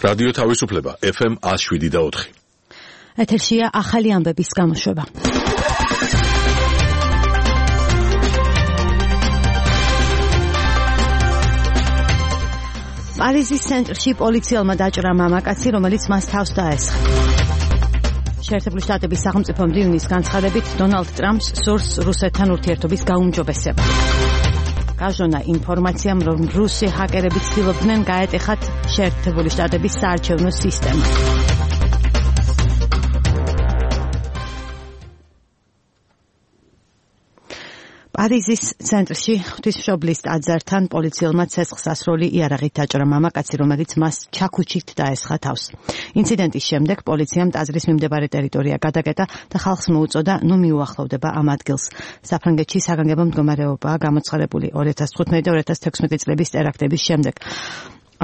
რადიო თავისუფლება FM 107.4. ეთერშია ახალი ამბების გამოშვება. პარიზის ცენტრში პოლიციელმა დაჭრა მამაკაცი, რომელიც მას თავს დაესხა. შეერთებული შტატების სახელმწიფო მდივნის განცხადებით, დონალდ ტრამპს სურს რუსეთთან ურთიერთობის გაუმჯობესება. გაჟონა ინფორმაციამ, რომ რუსი ჰაკერები ცდილობდნენ გაეტეხათ შეერთებული შტატების საარჩევნო სისტემა. პარიზის ცენტრში ღვთისმშობლის ტაძართან პოლიციელმა ცეცხლს ასროლი იარაღით დაჭრა მამაკაცი, რომელიც მას ჩაქუჩით დაესხა თავს. ინციდენტის შემდეგ პოლიციამ ტაძრის მიმდებარე ტერიტორია გადაკეტა და ხალხს მოუწოდა ნუ მიუახლოვდება ამ ადგილს. საფრანგეთში საგანგებო მდგომარეობაა გამოცხადებული 2015-2016 წლების ტერაქტების შემდეგ.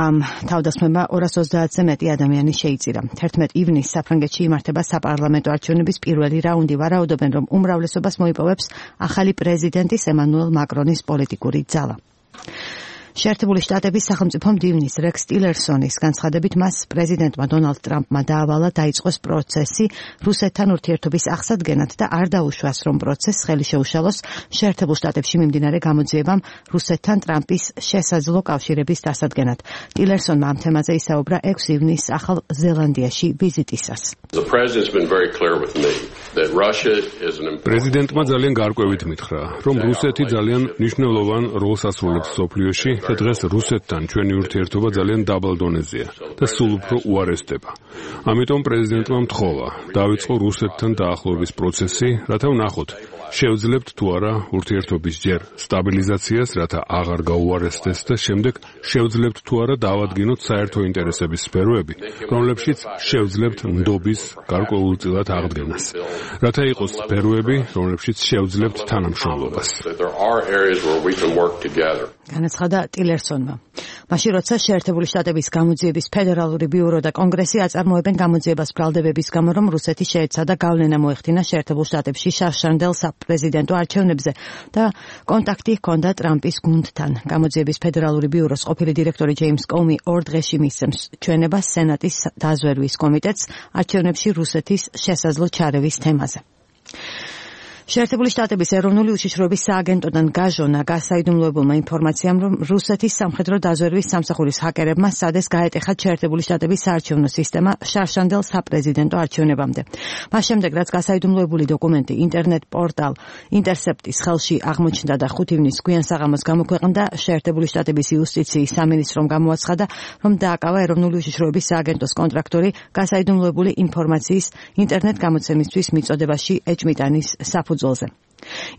თავდასხმება 230-ზე მეტი ადამიანი შეიწირა. 11 ივნისს საფრანგეთში იმართება საპარლამენტო არჩევნების პირველი რაუნდი. ვარაუდობენ, რომ უმრავლესობას მოიპოვებს ახალი პრეზიდენტის ემანუელ მაკრონის პოლიტიკური ძალა. შეერთებული შტატების სახელმწიფო მდივნის რექს ტილერსონის განცხადებით, მას პრეზიდენტმა დონალდ ტრამპმა დაავალა დაიწყოს პროცესი რუსეთთან ურთიერთობის აღსადგენად და არ დაუშვას, რომ პროცესს ხელი შეუშალოს შეერთებულ შტატებში მიმდინარე გამოძიებამ რუსეთთან ტრამპის შესაძლო კავშირების დასადგენად. ტილერსონმა ამ თემაზე ისაუბრა 6 ივნისს ახალ ზელანდიაში ვიზიტისას. პრეზიდენტმა ძალიან გარკვევით მითხრა, რომ რუსეთი ძალიან მნიშვნელოვან როლს ასრულებს მსოფლიოში და დღეს რუსეთთან ჩვენი ურთიერთობა ძალიან დაბალ დონეზეა და სულ უფრო უარესდება. ამიტომ პრეზიდენტმა მთხოვა დავიწყო რუსეთთან დაახლოების პროცესი, რათა ვნახოთ, შევძლებთ თუ არა ურთიერთობის ჯერ სტაბილიზაციას, რათა აღარ გაუარესდეს და შემდეგ შევძლებთ თუ არა დავადგინოთ საერთო ინტერესების სფეროები, რომლებშიც შევძლებთ ნდობის გარკვეულწილად აღდგენას, რათა იყოს სფეროები, რომლებშიც შევძლებთ თანამშრომლობას. განაცხადა ტილერსონმა. მაშინ როცა შეერთებული შტატების გამოძიების ფედერალური ბიურო და კონგრესი აწარმოებენ გამოძიებას ბრალდებების გამო, რომ რუსეთი შეეცადა გავლენა მოეხდინა შეერთებულ შტატებში შარშანდელ საპრეზიდენტო არჩევნებზე და კონტაქტი ჰქონდა ტრამპის გუნდთან. გამოძიების ფედერალური ბიუროს ყოფილი დირექტორი ჯეიმს კომი 2 დღეში მისცემს ჩვენებას სენატის დაზვერვის კომიტეტს არჩევნებში რუსეთის შესაძლო ჩარევის თემაზე. შეერთებული შტატების ეროვნული უშიშროების სააგენტოდან გაჟონა გასაიდუმლოებულმა ინფორმაციამ, რომ რუსეთის სამხედრო დაზვერვის სამსახურის ჰაკერებმა სადეს გაეტეხათ შეერთებული შტატების საარჩევნო სისტემა შარშანდელ საპრეზიდენტო არჩევნებამდე. მას შემდეგ, რაც გასაიდუმლოებული დოკუმენტი ინტერნეტ პორტალ ინტერსეპტის ხელში აღმოჩნდა და 5 ივნისს გვიან საღამოს გამოქვეყნდა, შეერთებული შტატების იუსტიციის სამინისტრომ გამოაცხადა, რომ დააკავა ეროვნული უშიშროების სააგენტოს კონტრაქტორი გასაიდუმლოებული ინფორმაციის ინტერნეტ გამოცემისთვის მიწოდებაში ეჭმიტანის საფუძველზე.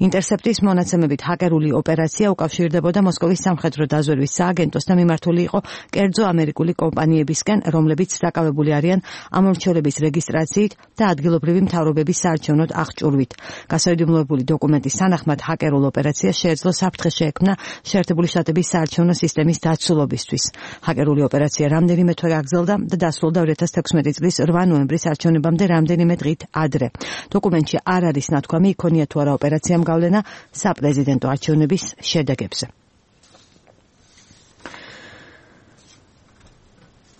ინტერსეპტის მონაცემებით ჰაკერული ოპერაცია უკავშირდებოდა მოსკოვის სამხედრო დაზვერვის სააგენტოსთან მიმართული იყო კერძო ამერიკული კომპანიებისკენ, რომლებიც დაკავებული არიან ამორჩევლების რეგისტრაციით და ადგილობრივი მთავრობების საარჩევნოდ აღჭურვით. გასაიდუმლოებული დოკუმენტის თანახმად ჰაკერულ ოპერაციას შეეძლო საფრთხე შეექმნა შეერთებული შტატების საარჩევნო სისტემის დაცულობისთვის. ჰაკერული ოპერაცია რამდენიმე თვე გაგრძელდა და დასრულდა 2016 წლის 8 ნოემბრის არჩევნებამდე რამდენიმე დღით ადრე. დოკუმენტში არ არის ნათქვამი იქონია თუ არა ოპერაციამ გავლენა საპრეზიდენტო არჩევნების შედეგებზე.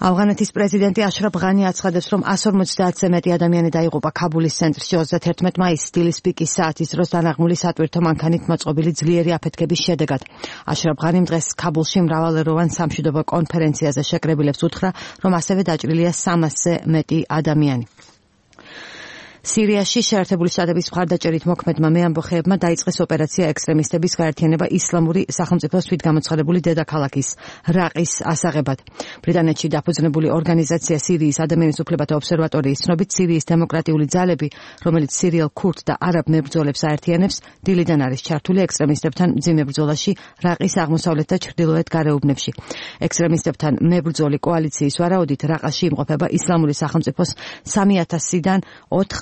ავღანეთის პრეზიდენტი აშრაფ ღანი აცხადებს, რომ 150-ზე მეტი ადამიანი დაიღუპა ქაბულის ცენტრში 31 მაისს დილის პიკის საათის დროს დანაღმული სატვირთო მანქანით მოწყობილი ძლიერი აფეთქების შედეგად. აშრაფ ღანიმ დღეს ქაბულში მრავალეროვან სამშვიდობო კონფერენციაზე შეკრებილებს უთხრა, რომ ასევე დაჭრილია 300-ზე მეტი ადამიანი. სირიაში შეერთებული შტატების მხარდაჭერით მოქმედმა მეამბოხეებმა დაიწყეს ოპერაცია ექსტრემისტების გაერთიანება ისლამური სახელმწიფოს თვითგამოცხადებული დედაქალაქის რაყის ასაღებად. ბრიტანეთში დაფუძნებული ორგანიზაცია სირიის ადამიანის უფლებათა ობსერვატორიის ცნობით, სირიის დემოკრატიული ძალები, რომელიც სირიელ ქურდ და არაბ მებრძოლებს აერთიანებს, დილიდან არის ჩართული ექსტრემისტებთან მძიმე ბრძოლაში რაყის აღმოსავლეთ და ჩრდილოეთ გარეუბნებში. ექსტრემისტებთან მებრძოლი კოალიციის ვარაუდით რაყაში იმყოფება ისლამური სახელმწიფოს 3000-დან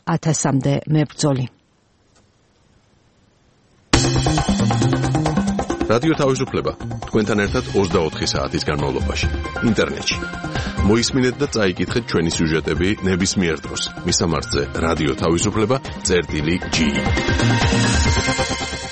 4000-მდე მებრძოლი. რადიო თავისუფლება თქვენთან ერთად 24 საათის განმავლობაში ინტერნეტში. მოისმინეთ და წაიკითხეთ ჩვენი სიუჟეტები ნებისმიერ დროს. მისამართზე რადიო თავისუფლება.ge